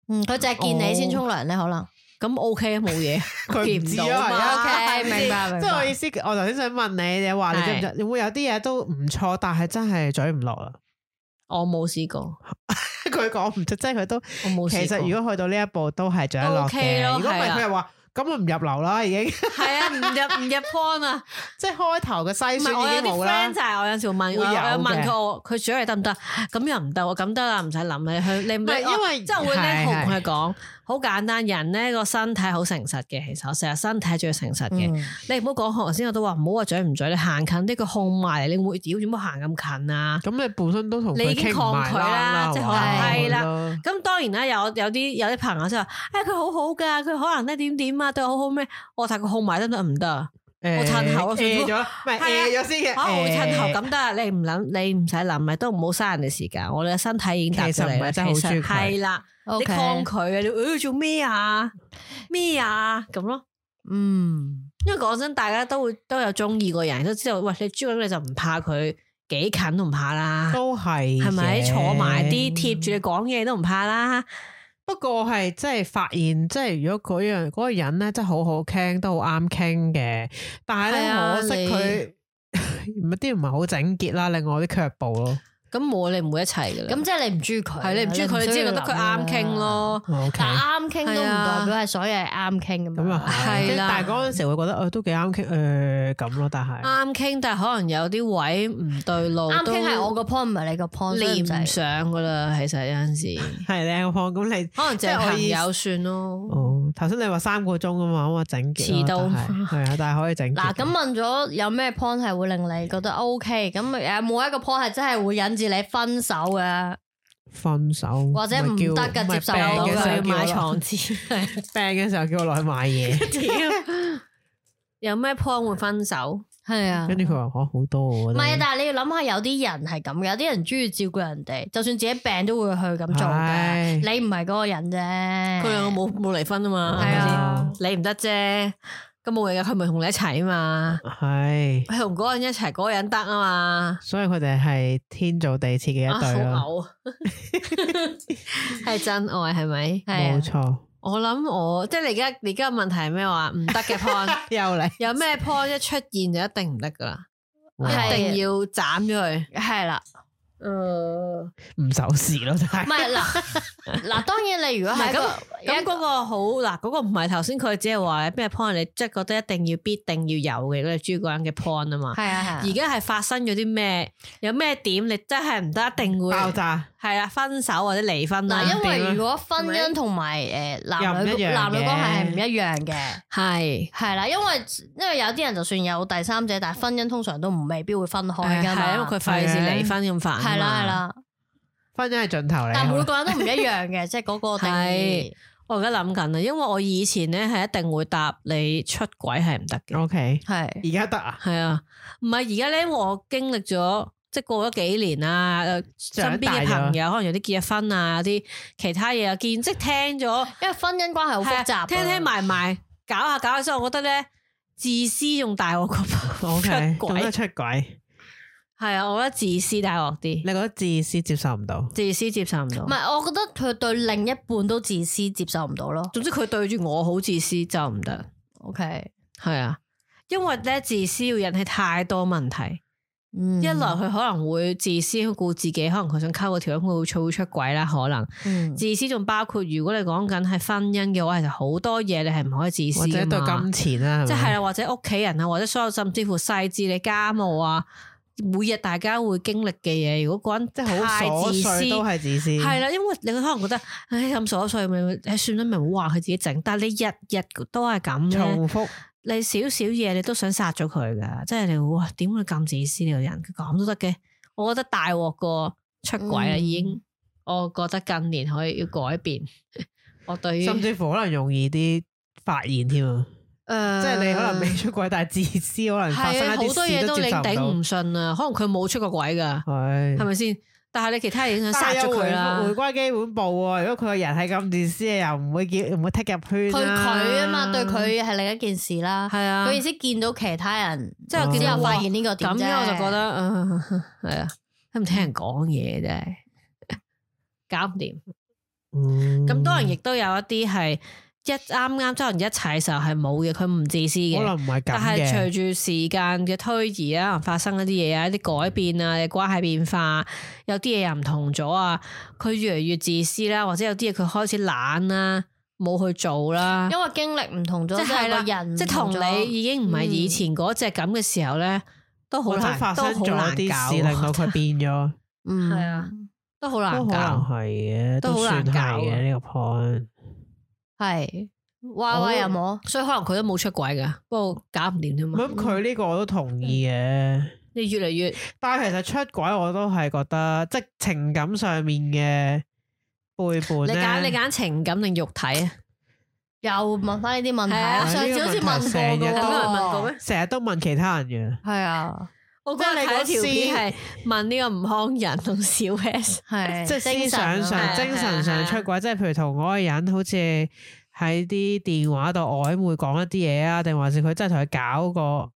嗯，佢就係見你先沖涼咧，可能咁 OK 啊，冇嘢，佢唔知啊。OK，明白明白。即係我意思，我頭先想問你，你話你知唔知？會有啲嘢都唔錯，但係真係嘴唔落啦。我冇試過，佢講唔出，即係佢都我冇。其實如果去到呢一步，都係嘴得落嘅。如果唔係佢又話咁咪唔入流啦，已經係啊，唔入唔入 point 啊，即係開頭嘅篩選已經冇啦。我有啲 friend 就係我有時問我，我問佢佢主要係得唔得？咁又唔得，我咁得啦，唔使諗你去你唔係因為即係會咧同佢講。好簡單，人咧個身體好誠實嘅，其實我成日身體最誠實嘅。嗯、你唔好講，頭先我都話唔好話嘴唔嘴，你行近啲佢控埋嚟，你會屌點解行咁近啊？咁你本身都同你已經抗拒啦，即係可能係啦。咁當然啦，有有啲有啲朋友就話，誒佢好好噶，佢可能咧點點啊，對我好好咩？我睇佢控埋得得唔得？我趁後，誒咗，唔係誒咗先嘅。我會趁後咁得，你唔諗，你唔使諗，咪都唔好嘥人哋時間。我哋嘅身體已經答出嚟啦，真係好中意佢。係啦。Okay. 你抗拒啊？你誒做咩啊？咩啊？咁咯，嗯，因為講真，大家都會都有中意個人，都知道喂，你豬咁你就唔怕佢幾近都唔怕啦，都係係咪坐埋啲貼住你講嘢都唔怕啦？不過係即係發現，即係如果嗰樣嗰個人咧，真係好好傾，都好啱傾嘅，但係咧可惜佢唔係啲唔係好整潔啦，另外啲卻步咯。咁冇你唔會一齊噶啦，咁即係你唔中意佢，係你唔中意佢，你只係覺得佢啱傾咯。但啱傾都唔代表係所有係啱傾咁。咁啊係，但係嗰陣時會覺得誒都幾啱傾誒咁咯，但係啱傾，但係可能有啲位唔對路。啱傾係我個 point 唔係你個 point，連唔上噶啦。其實有陣時係你個 point，咁你可能淨係朋友算咯。哦，頭先你話三個鐘啊嘛，咁啊整遲到係啊，但係可以整。嗱咁問咗有咩 point 係會令你覺得 OK？咁誒冇一個 point 係真係會引。你分手嘅，分手或者唔得嘅，接受唔到嘅，要買床墊。病嘅時候叫我落去買嘢。有咩 point 會分手？係啊，跟住佢話吓好多。唔係啊，但係你要諗下，有啲人係咁嘅，有啲人中意照顧人哋，就算自己病都會去咁做嘅。你唔係嗰個人啫，佢兩個冇冇離婚啊嘛，係啊，你唔得啫。咁冇嘢嘅，佢咪同你一齊啊嘛，係佢同嗰個人一齊，嗰個人得啊嘛，所以佢哋係天造地設嘅一對咯，係真愛係咪？冇錯，我諗我即係你而家，你而家個問題係咩話？唔得嘅 point 又嚟，有咩 point 一出現就一定唔得噶啦，一定要斬咗佢，係啦。誒，唔守時咯，真係。唔係嗱嗱，當然你如果係咁咁嗰個好嗱，嗰個唔係頭先佢只係話咩 point，你即係覺得一定要必定要有嘅嗰個豬嗰人嘅 point 啊嘛。係啊係。而家係發生咗啲咩？有咩點你真係唔得，一定會爆炸。係啊，分手或者離婚啦。嗱，因為如果婚姻同埋誒男女男女關係係唔一樣嘅，係係啦，因為因為有啲人就算有第三者，但係婚姻通常都唔未必會分開噶嘛，因為佢費事離婚咁煩。係啦係啦，婚姻係盡頭嚟。但每個人都唔一樣嘅，即係嗰個定義。我而家諗緊啊，因為我以前咧係一定會答你出軌係唔得嘅。O K，係而家得啊？係啊，唔係而家咧，我經歷咗。即係過咗幾年啦，身邊嘅朋友可能有啲結咗婚啊，有啲其他嘢又見，即係聽咗，因為婚姻關係好複雜，聽聽埋埋，搞下搞下之後，我覺得咧自私仲大鑊過出軌，咁都出軌，係啊，我覺得自私大鑊啲。你覺得自私接受唔到？自私接受唔到？唔係，我覺得佢對另一半都自私接受唔到咯。總之佢對住我好自私就唔得。OK，係啊，因為咧自私要引起太多問題。嗯、一來佢可能會自私顧自己，可能佢想溝個條友，佢會出出軌啦。可能、嗯、自私仲包括，如果你講緊係婚姻嘅話，其實好多嘢你係唔可以自私，或者對金錢啦，即係啦，或者屋企人啊，或者所有甚至乎細緻你家務啊，每日大家會經歷嘅嘢，如果講即係好瑣碎都係自私，係啦，因為你可能覺得唉咁瑣碎咪，唉算啦，咪唔好話佢自己整，但係你日日都係咁重複。你少少嘢你都想殺咗佢噶，即係你哇點會咁自私呢個人？佢咁都得嘅，我覺得大鑊過出軌啦，已經。我覺得近年可以要改變。我對於甚至乎可能容易啲發現添啊，誒，即係你可能未出軌，但係自私可能發生一啲事都接受唔到。好多嘢都你頂唔順啊，可能佢冇出過軌噶，係係咪先？但係你其他嘢想殺咗佢啦，回歸基本步喎。如果佢個人係咁自私，又唔會叫唔會踢入圈啦。對佢啊嘛，對佢係另一件事啦。係啊，佢意思見到其他人，即係之後發現呢個點啫。咁樣我就覺得，嗯，係啊，都唔聽人講嘢真係，搞唔掂。嗯，咁當然亦都有一啲係。一啱啱即係一齊嘅時候係冇嘅，佢唔自私嘅，可能唔係咁嘅。但係隨住時間嘅推移啊，發生一啲嘢啊，一啲改變啊，關係變化，有啲嘢又唔同咗啊，佢越嚟越自私啦，或者有啲嘢佢開始懶啦，冇去做啦。因為經歷唔同咗，即係個人即係同你已經唔係以前嗰隻咁嘅時候咧，嗯、都好難發生咗啲事令到佢變咗。嗯，係啊，都好難搞。都可能係嘅，都好難搞嘅呢個 point。係 Y Y 有冇？所以可能佢都冇出軌噶，不過搞唔掂啫嘛。咁佢呢個我都同意嘅。你越嚟越，但係其實出軌我都係覺得，即係情感上面嘅背叛咧。你揀你揀情感定肉體啊？又問翻呢啲問題啊？上次好似問過嘅，問過咩？成日都問其他人嘅。係啊，我覺得你嗰條片係問呢個吳康仁同小 S， 係即係思想上、精神上出軌，即係譬如同嗰個人好似喺啲電話度曖昧講一啲嘢啊，定還是佢真係同佢搞個？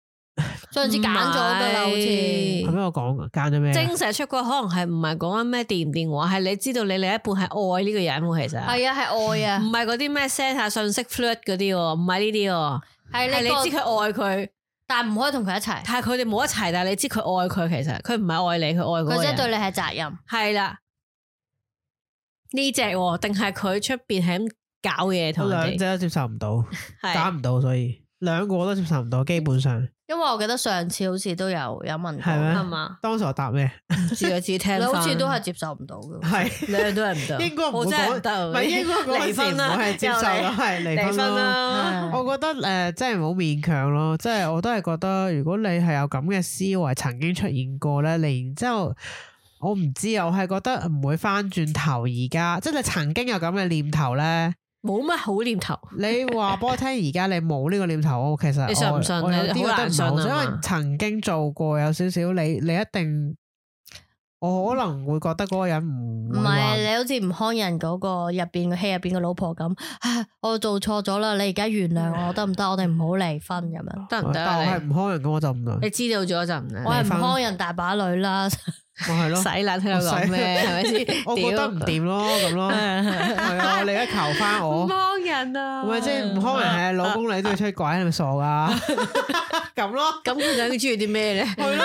上次揀咗噶啦，好似係咩？我講揀咗咩？精神出軌可能係唔係講緊咩電唔電話，係你知道你另一半係愛呢個人喎，其實係啊，係愛啊，唔係嗰啲咩 send 下信息 flirt 嗰啲，唔係呢啲，係你知佢愛佢，但係唔可以同佢一齊。但係佢哋冇一齊，但係你知佢愛佢，其實佢唔係愛你，佢愛嗰個人。佢真係對你係責任。係啦，呢隻定係佢出邊係咁搞嘢同人哋，兩隻都接受唔到，揀唔到，所以兩個我都接受唔到，基本上。因為我記得上次好似都有有問過，係咩？係嘛？當時我答咩？自己自己聽，你好似都係接受唔到嘅，係你哋都係唔得，應該唔會講得，唔係應該嗰陣時唔會係接受咯，係離婚咯。我覺得誒，真係唔好勉強咯，即係我都係覺得，如果你係有咁嘅思維曾經出現過咧，你然之後我唔知啊，我係覺得唔會翻轉頭而家，即係你曾經有咁嘅念頭咧。冇乜好念頭，你話俾我聽，而家你冇呢個念頭，我其實你信唔信？我有啲覺得唔信，因為嗎曾經做過有少少，你你一定，我可能會覺得嗰個人唔唔係你好似吳康仁嗰個入邊個戲入邊嘅老婆咁，唉，我做錯咗啦，你而家原諒我得唔得？我哋唔好離婚咁樣，得唔得？但我係吳康仁咁，我就唔得。你知道咗就唔得。我係吳康仁大把女啦。咪係咯，洗啦，聽我講咩？係咪先？我覺得唔掂咯，咁咯，係啊，你而家求翻我，吳康仁啊，係咪先？吳康仁係老公，你都要出軌，你咪傻噶？咁咯，咁佢想佢中意啲咩咧？係咯，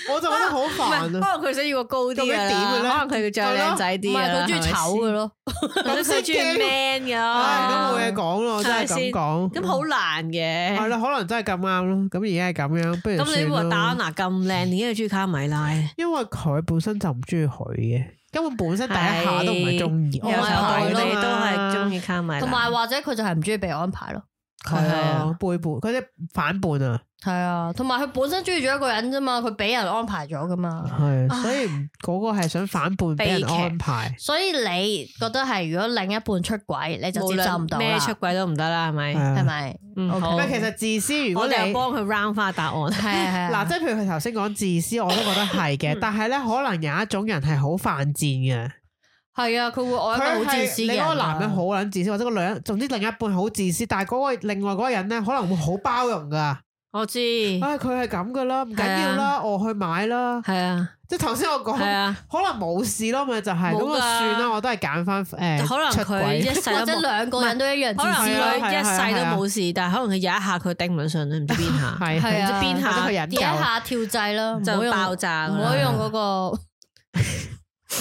我就覺得好煩啊。可能佢想要個高啲嘅，點嘅咧？可能佢要再靚仔啲，唔係佢中意醜嘅咯，咁佢中意 man 㗎。咁冇嘢講咯，真係咁講。咁好難嘅。係啦，可能真係咁啱咯。咁而家係咁樣，不如咁你話戴安娜咁靚，點解要中意卡米拉？因為佢本身就唔中意佢嘅，根本本身第一下都唔係中意，有時候你都係中意卡米拉，同埋或者佢就係唔中意被安排咯。係啊，背叛佢啲反叛啊，係啊，同埋佢本身中意咗一個人啫嘛，佢俾人安排咗噶嘛，係，所以嗰個係想反叛俾人安排。所以你覺得係如果另一半出軌，你就接受唔到啦，咩出軌都唔得啦，係咪？係咪？唔係，其實自私，如果你我哋幫佢 round 翻答案，係係嗱，即係譬如佢頭先講自私，我都覺得係嘅，但係咧可能有一種人係好犯賤嘅。係啊，佢會愛一個好自私嘅人。你嗰個男人好撚自私，或者個女人，總之另一半好自私，但係嗰個另外嗰個人咧，可能會好包容噶。我知，唉，佢係咁噶啦，唔緊要啦，我去買啦。係啊，即係頭先我講，係啊，可能冇事咯，咪就係咁就算啦，我都係揀翻誒，可能佢一世或者兩個人都一樣自私，可能佢一世都冇事，但係可能佢有一下佢頂唔順，唔知邊下，係係啊，邊下跌一下跳掣啦，就爆炸，唔可以用嗰個。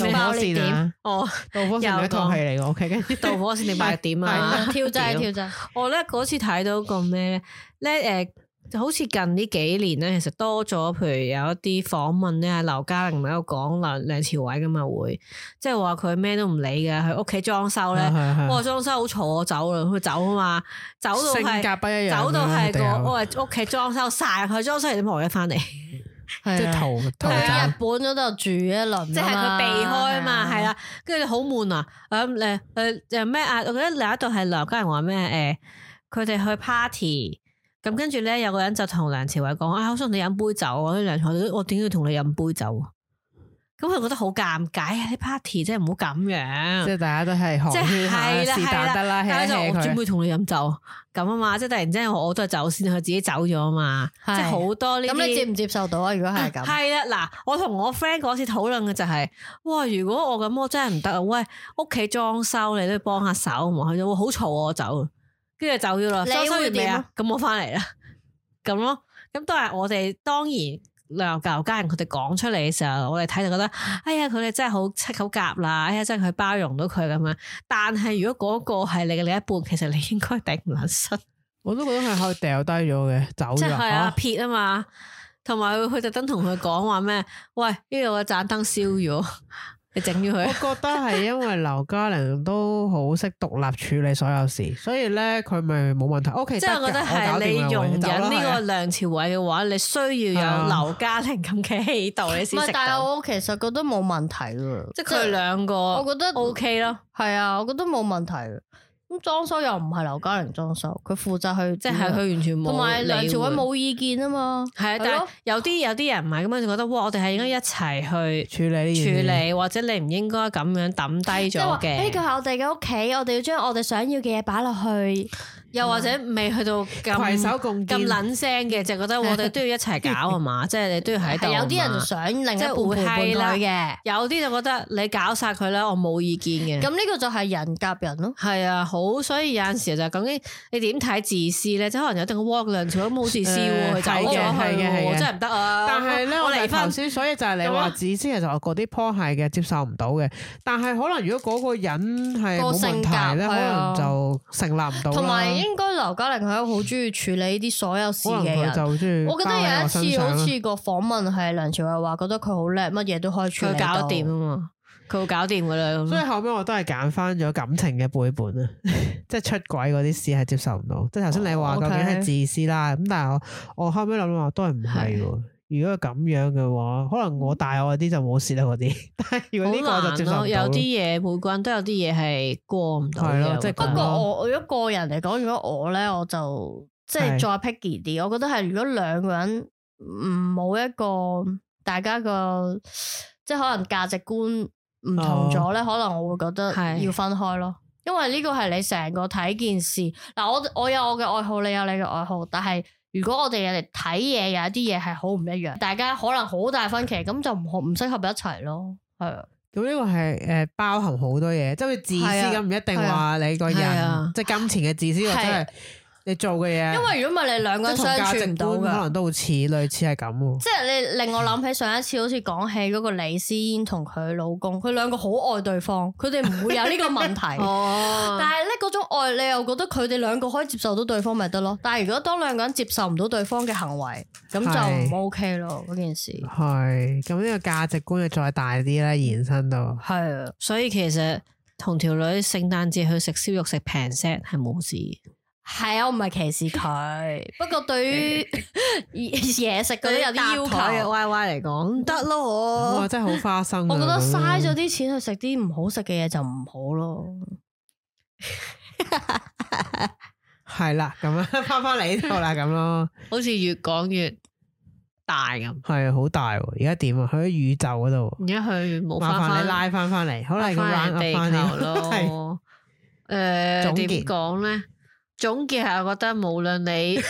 導火線啊！哦，導火線係一套戲嚟嘅，OK，跟住導火線你買點啊？跳掣跳掣。我咧嗰次睇到個咩咧？誒，好似近呢幾年咧，其實多咗，譬如有一啲訪問咧，劉嘉玲咪有講梁梁朝偉噶嘛，會即係話佢咩都唔理嘅，佢屋企裝修咧，哇，裝修好嘈，我走啦，佢走啊嘛，走到係性格不一樣，走到係個我係屋企裝修晒，佢裝修完點冇一翻嚟。即係逃逃去日本嗰度住一輪，即係佢避開啊嘛，係啦，跟住好悶啊，咁誒誒誒咩啊？我覺得另一度係梁家仁話咩誒，佢哋去 party，咁跟住咧有個人就同梁朝偉講啊，好想你飲杯酒啊，梁朝偉我點解要同你飲杯酒？咁佢覺得好尷尬啊！啲 party 真係唔好咁樣，即係大家都係寒暄下，是但得啦，但係就我專門同你飲酒咁啊嘛，即係突然之間我都係走先，佢自己走咗啊嘛，即係好多呢啲。咁你接唔接受到啊？如果係咁，係啊，嗱，我同我 friend 嗰次討論嘅就係，哇！如果我咁，我真係唔得啊！喂，屋企裝修你都要幫下手，佢就會好嘈我走，跟住走咗啦。你會點啊？咁我翻嚟啦，咁咯，咁都係我哋當然。劉家人佢哋講出嚟嘅時候，我哋睇就覺得，哎呀，佢哋真係好戚好夾啦，哎呀，真係佢包容到佢咁樣。但係如果嗰個係你嘅另一半，其實你應該頂唔順。我都覺得係可以掉低咗嘅，走咗。即係啊，撇啊嘛，同埋佢特登同佢講話咩？喂，呢度嘅盞燈燒咗。你整咗佢？我覺得係因為劉嘉玲都好識獨立處理所有事，所以咧佢咪冇問題。O K，即係我覺得係你容忍呢個梁朝偉嘅話，你需要有劉嘉玲咁嘅氣度，你先識到。但係我其實覺得冇問題噶，即係佢哋兩個，我覺得 O K 咯。係啊，我覺得冇問題。咁裝修又唔係劉嘉玲裝修，佢負責去，即係佢完全冇。同埋梁朝偉冇意見啊嘛。係啊，但係有啲有啲人唔係咁樣，就覺得哇，我哋係應該一齊去處理處理，或者你唔應該咁樣抌低咗嘅。呢個係我哋嘅屋企，我哋要將我哋想要嘅嘢擺落去。又或者未去到咁攜手共建咁撚聲嘅，就覺得我哋都要一齊搞啊嘛，即係你都要喺度。有啲人想另一半陪伴佢嘅，有啲就覺得你搞晒佢啦，我冇意見嘅。咁呢個就係人夾人咯。係啊，好，所以有陣時就究竟你點睇自私咧？即係可能有定個 work 梁朝偉都冇自私喎，佢走咗去喎，真係唔得啊！但係咧，我離婚頭先，所以就係你話自私，其實我嗰啲 point 係嘅，接受唔到嘅。但係可能如果嗰個人係冇問題咧，可能就成立唔到。同埋應該劉嘉玲係一個好中意處理呢啲所有事嘅人。我記得有一次好似個訪問係梁朝偉話，覺得佢好叻，乜嘢都可以處理到，佢搞掂啊嘛，佢會搞掂噶啦。所以後尾我都係揀翻咗感情嘅背叛啊，即係出軌嗰啲事係接受唔到。即係頭先你話究竟係自私啦，咁、哦 okay. 但係我我後尾諗諗話都係唔係喎。如果咁樣嘅話，可能我大我啲就冇事啦嗰啲。但係如果呢個就接受唔到，有啲嘢每個人都有啲嘢係過唔到嘅。即係不過我如果個人嚟講，如果我咧，我就即係再 picky 啲。我覺得係如果兩個人唔冇一個大家個即係可能價值觀唔同咗咧，哦、可能我會覺得要分開咯。因為呢個係你成個睇件事嗱，我我有我嘅愛好，你有你嘅愛好，但係。如果我哋嚟睇嘢，有一啲嘢係好唔一樣，大家可能好大分歧，咁就唔唔適合一齊咯。係啊，咁呢個係誒包含好多嘢，即係自私咁，唔一定話你個人即係金錢嘅自私，或者係你做嘅嘢。因為如果唔係你兩個人相處唔到嘅，可能都好似類似係咁。即係你令我諗起上一次好似講起嗰個李思嫣同佢老公，佢兩個好愛對方，佢哋唔會有呢個問題。哦，但係咧嗰種愛，你又覺得佢哋兩個可以接受到對方咪得咯？但係如果當兩個人接受唔到對方嘅行為，咁就唔 OK 咯。嗰件事係咁，呢個價值觀就再大啲咧，延伸到係啊。所以其實同條女聖誕節去食燒肉食平 set 係冇事。係啊，我唔係歧視佢，不過對於嘢食嗰啲有啲要求嘅 Y Y 嚟講，得咯。哇，真係好花生。我覺得嘥咗啲錢去食啲唔好食嘅嘢就唔好咯。係啦，咁樣翻翻嚟呢度啦，咁咯。好似越講越大咁。係啊，好大。而家點啊？去咗宇宙嗰度。而家去冇翻翻。麻煩你拉翻翻嚟，好啦，咁 round up 翻地球咯。誒，點講咧？總結係，我覺得無論你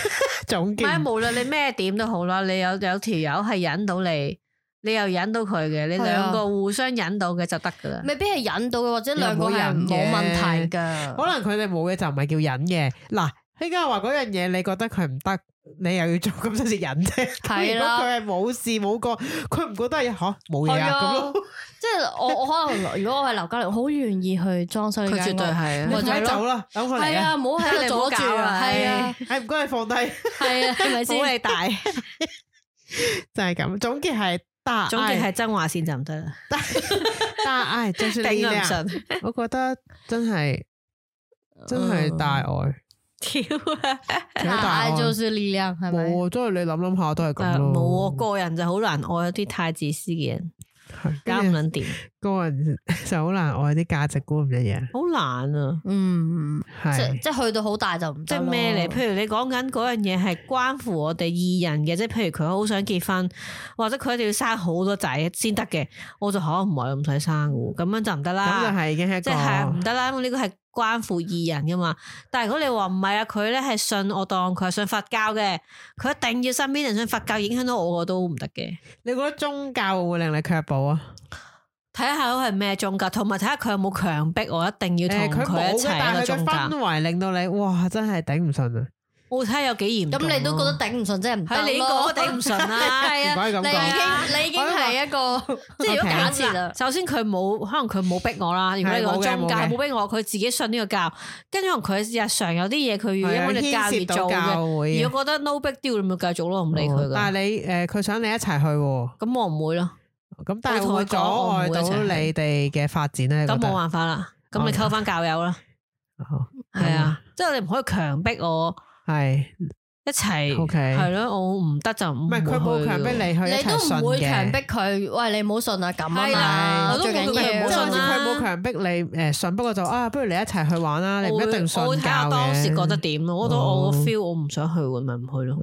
總結，唔係無論你咩點都好啦，你有有條友係忍到你，你又忍到佢嘅，你兩個互相忍到嘅就得噶啦。未必係忍到嘅，或者兩個人冇問題噶。可能佢哋冇嘅就唔係叫忍嘅。嗱，依家話嗰樣嘢，你覺得佢唔得，你又要做，咁先至忍啫。係啦，如果佢係冇事冇過，佢唔覺得係吓冇嘢啊咁咯。即係我我可能如果我係劉嘉玲，好願意去裝修呢間屋，佢絕對係啊，咪就走啦，等佢嚟啊，係啊，唔好喺度阻住啊，係啊，係唔該你放低，係啊，係咪先？好你大，就係咁。總結係大，總結係真話線就唔得啦。大愛就是力量，我覺得真係真係大愛。跳啊！大愛就是力量，係咪？冇，真係你諗諗下都係咁咯。冇啊，個人就好難愛一啲太自私嘅人。搞唔捻掂，個人就好難愛啲價值觀唔一樣，好難啊。嗯，係即即係去到好大就唔即係咩嚟？譬如你講緊嗰樣嘢係關乎我哋二人嘅，即係譬如佢好想結婚，或者佢一定要生好多仔先得嘅，我就可能唔係唔使生嘅，咁樣就唔得啦。咁就係已經係即係唔得啦，因為呢個係關乎二人噶嘛。但係如果你話唔係啊，佢咧係信我當佢係信佛教嘅，佢一定要身邊人信佛教，影響到我我都唔得嘅。你覺得宗教會唔會令你卻步啊？睇下佢係咩宗教，同埋睇下佢有冇強迫我一定要同佢一齊嘅宗教。但係佢嘅氛圍令到你哇，真係頂唔順啊！我睇下有幾嚴重。咁你都覺得頂唔順，即係唔得咯。你講頂唔順啦，係啊，你已經你已經係一個即係如果假設啦。首先佢冇可能佢冇逼我啦。如果你講宗教冇逼我，佢自己信呢個教，跟住可能佢日常有啲嘢佢要因為你教而做嘅。如果覺得 no big deal，你咪繼續咯，唔理佢噶。但係你誒，佢想你一齊去，咁我唔會咯。咁但係會阻礙到你哋嘅發展咧？咁冇辦法啦。咁你溝翻教友啦。係啊，即係你唔可以強迫我。係一齊，係咯，我唔得就唔。唔係佢冇強迫你去一齊信嘅，你都唔會強迫佢。喂，你唔好信啊，咁啊，我都冇叫佢唔好信啦。佢冇強迫你誒信，不過就啊，不如你一齊去玩啦。你唔一定信教嘅。我睇下當時覺得點咯，我覺得我個 feel 我唔想去，咪唔去咯。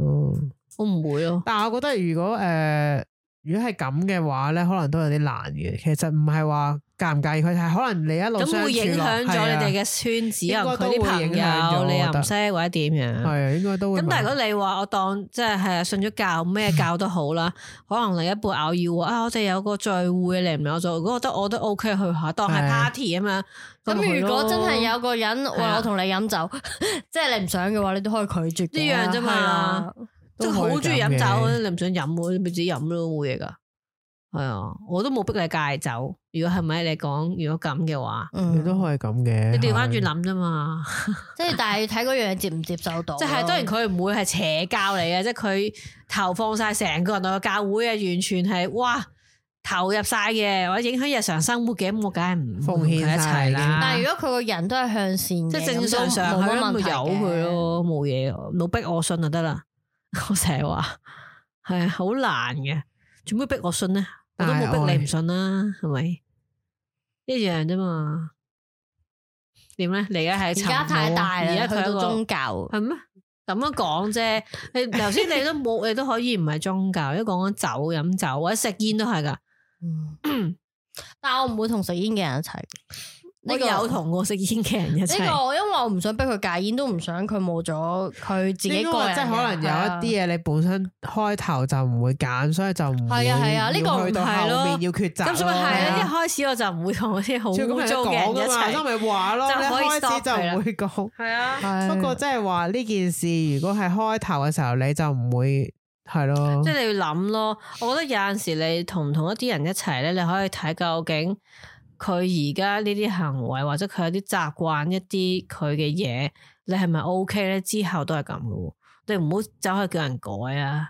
我唔會咯。但係我覺得如果誒如果係咁嘅話咧，可能都有啲難嘅。其實唔係話介唔介意佢，係可能你一路相處落，咁會影響咗你哋嘅圈子啊，佢啲朋友你又唔識或者點樣？係啊，應該都會。咁但係如果你話我當即係係信咗教咩教都好啦，可能另一半拗要啊，我哋有個聚會嚟唔嚟？我就如果覺得我都 OK 去下，當係 party 啊嘛。咁如果真係有個人話我同你飲酒，即係你唔想嘅話，你都可以拒絕呢樣啫嘛。即係好中意飲酒，你唔想飲，你咪自己飲咯，冇嘢噶。係啊，我都冇逼你戒酒。如果係咪你講，如果咁嘅話，你都可以咁嘅。你調翻轉諗啫嘛。即係但係睇嗰樣嘢接唔接受到。即係當然佢唔會係邪教嚟嘅，即係佢投放晒成個人落去教會啊，完全係哇投入晒嘅，或者影響日常生活嘅，咁我梗係唔奉獻一齊啦。但係如果佢個人都係向善嘅，即係正常上冇乜問題，由佢咯，冇嘢，冇逼我信就得啦。我成日話係好難嘅，做咩逼我信呢？我都冇逼你唔信啦，係咪一樣啫嘛？點咧？你而家係而家太大啦，而家去到宗教係咩？咁樣講啫。你頭先你都冇，你都可以唔係宗教，因為講緊酒飲酒或者食煙都係噶。嗯，但係我唔會同食煙嘅人一齊。我有同過食煙嘅人一齊。呢個因為我唔想逼佢戒煙，都唔想佢冇咗佢自己個人。即係可能有一啲嘢你本身開頭就唔會揀，所以就唔係啊係啊，呢個去到後面要抉擇。咁所以係啊，一開始我就唔會同嗰啲好污糟嘅人一齊。咁咪話咯，一開始就唔會講。係啊，不過即係話呢件事，如果係開頭嘅時候，你就唔會係咯。即係你要諗咯。我覺得有陣時你同唔同一啲人一齊咧，你可以睇究竟。佢而家呢啲行為或者佢有啲習慣一啲佢嘅嘢，你係咪 OK 咧？之後都係咁嘅，你唔好走去叫人改啊！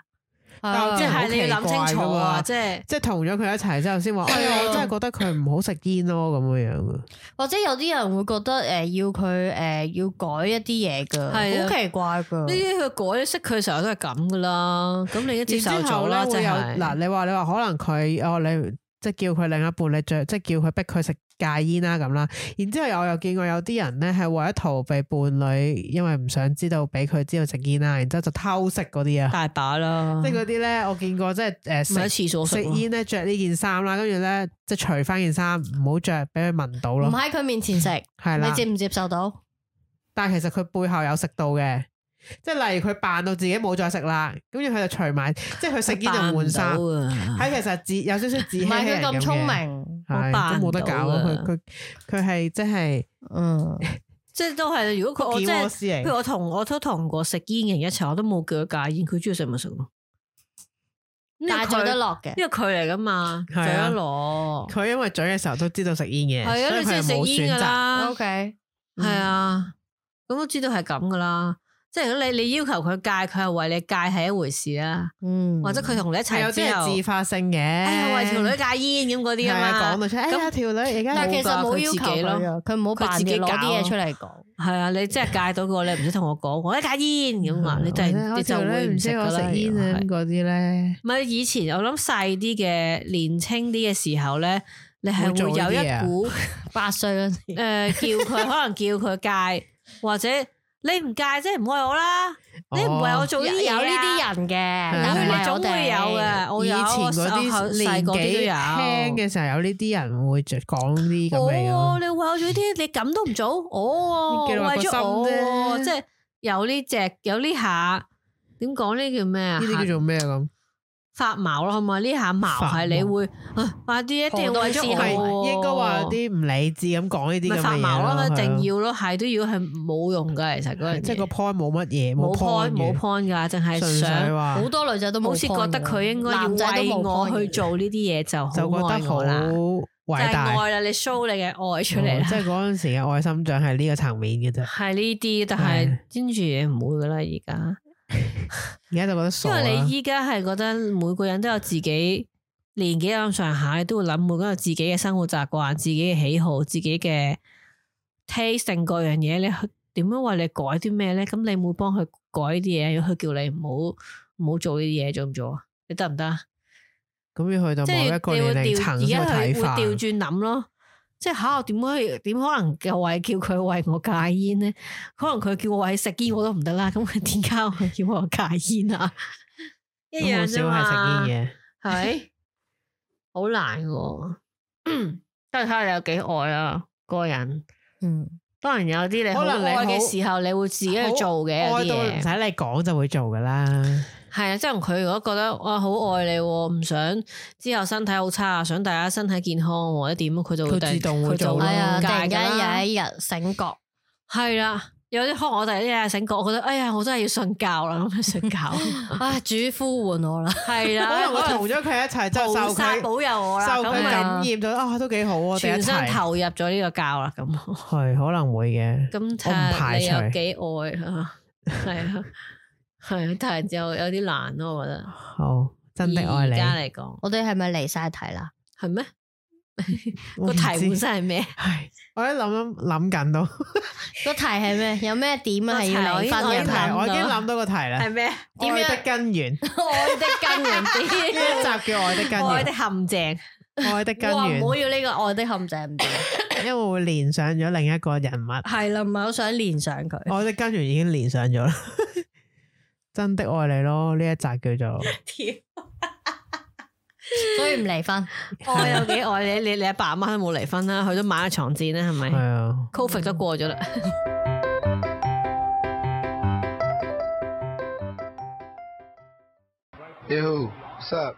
即係你要諗清楚啊！即係即係同咗佢一齊之後先話，哎我真係覺得佢唔好食煙咯咁樣樣。或者有啲人會覺得誒，要佢誒要改一啲嘢噶，好奇怪噶。呢啲佢改識佢嘅時候都係咁噶啦，咁你都接受咗啦。即係嗱，你話你話可能佢哦你。即係叫佢另一半，你着即係叫佢逼佢食戒煙啦咁啦。然之後我又見過有啲人咧係為咗逃避伴侶，因為唔想知道俾佢知道食煙啦，然之後就偷食嗰啲啊，大把啦。即係嗰啲咧，我見過即係誒食廁所食煙咧，着呢件衫啦，跟住咧即係除翻件衫，唔好着俾佢聞到咯。唔喺佢面前食，係啦，你接唔接受到？但係其實佢背後有食到嘅。即係例如佢扮到自己冇再食啦，跟住佢就除埋，即係佢食煙就換衫。喺其實自有少少自欺欺人咁嘅。唔係佢咁聰明，係都冇得搞。佢佢佢係即係，嗯，即係都係。如果佢我即係，譬如我同我都同過食煙嘅人一齊，我都冇叫佢戒煙，佢中意食咪食咯。但係做得落嘅，因為佢嚟噶嘛，做得落。佢因為嘴嘅時候都知道食煙嘅，係啊，你知食煙噶啦。O K，係啊，咁都知道係咁噶啦。即係如果你你要求佢戒，佢係為你戒係一回事啦。嗯，或者佢同你一齊有啲係自發性嘅，哎呀為條女戒煙咁嗰啲啊嘛，講到出，哎呀條女而家，但係其實冇要求咯，佢唔好扮嘢攞啲嘢出嚟講。係啊，你真係戒到個，你唔使同我講，我一戒煙咁啊，你就係你就會唔識我食煙啊嗰啲咧。唔係以前我諗細啲嘅年輕啲嘅時候咧，你係會有一股八歲嗰時，誒叫佢可能叫佢戒或者。你唔戒即係唔愛我啦，你唔為我做呢啲嘢啊！有呢啲人嘅，你總會有嘅。我以前嗰啲年紀輕嘅時候，有呢啲人會講啲咁嘅。哦，你為我做呢啲，你咁都唔做？哦，為咗我，即係有呢隻有呢下，點講呢叫咩啊？呢啲叫做咩咁？發毛咯，係咪呢下毛係你會啊？快啲一定要為咗我，應該話有啲唔理智咁講呢啲咁嘅嘢咯。發毛咯，一定要咯，係都要係冇用噶，其實嗰樣。即係個 point 冇乜嘢，冇 point 冇 point 噶，淨係想好多女仔都冇 point，好似覺得佢應該要為我去做呢啲嘢就就覺得好偉大。愛啦，你 show 你嘅愛出嚟啦。即係嗰陣時嘅愛心獎係呢個層面嘅啫。係呢啲，但係跟住嘢唔會噶啦，而家。而家就覺得傻，因為你依家係覺得每個人都有自己年紀咁上下，都會諗每個人有自己嘅生活習慣、自己嘅喜好、自己嘅 taste 各樣嘢。你點樣為你改啲咩咧？咁你會幫佢改啲嘢，如果佢叫你唔好唔好做呢啲嘢，做唔做啊？你得唔得啊？咁要去到某一個年齡層先去睇法，會調轉諗咯。即係吓我點可點可能嘅為叫佢為我戒煙咧？可能佢叫我為食煙我都唔得啦。咁佢點解我叫我戒煙啊？一樣啫嘛。好少係食煙嘅，係咪？好難嘅，都係睇下你有幾愛啊個人。嗯，當然有啲你可能你愛嘅時候，你會自己去做嘅。有啲嘢唔使你講就會做噶啦。係啊，即係佢如果覺得哇好愛你，唔想之後身體好差，想大家身體健康或者點，佢就會自動會做啦。係啊，突然間有一日醒覺，係啦，有啲可能我第一日醒覺，我覺得哎呀，我真係要瞓覺啦，咁樣瞓覺，唉，主呼喚我啦，係啦，可能我同咗佢一齊就受佢保佑我啦，受佢感染咗啊，都幾好啊，全身投入咗呢個覺啦，咁係可能會嘅，咁睇下你有幾愛啊，係啊。係，但係就有啲難咯，我覺得。好，真的愛你。而家嚟講，我哋係咪離晒題啦？係咩？個題本身係咩？係我喺諗諗緊到個題係咩？有咩點啊？係要離婚嘅題？我已經諗到個題啦。係咩？點樣愛的根源？愛的根源啲呢一集叫愛的根源。愛的陷阱。愛的根源。唔好要呢個愛的陷阱唔得，因為會連上咗另一個人物。係啦，唔係我想連上佢。愛的根源已經連上咗啦。真的愛你咯，呢一集叫做，所以唔離婚。愛有幾愛你？你你阿爸阿媽都冇離婚啦，佢都買咗床墊啦，係咪？係啊 ，Covid 都過咗啦。Yo, what's up?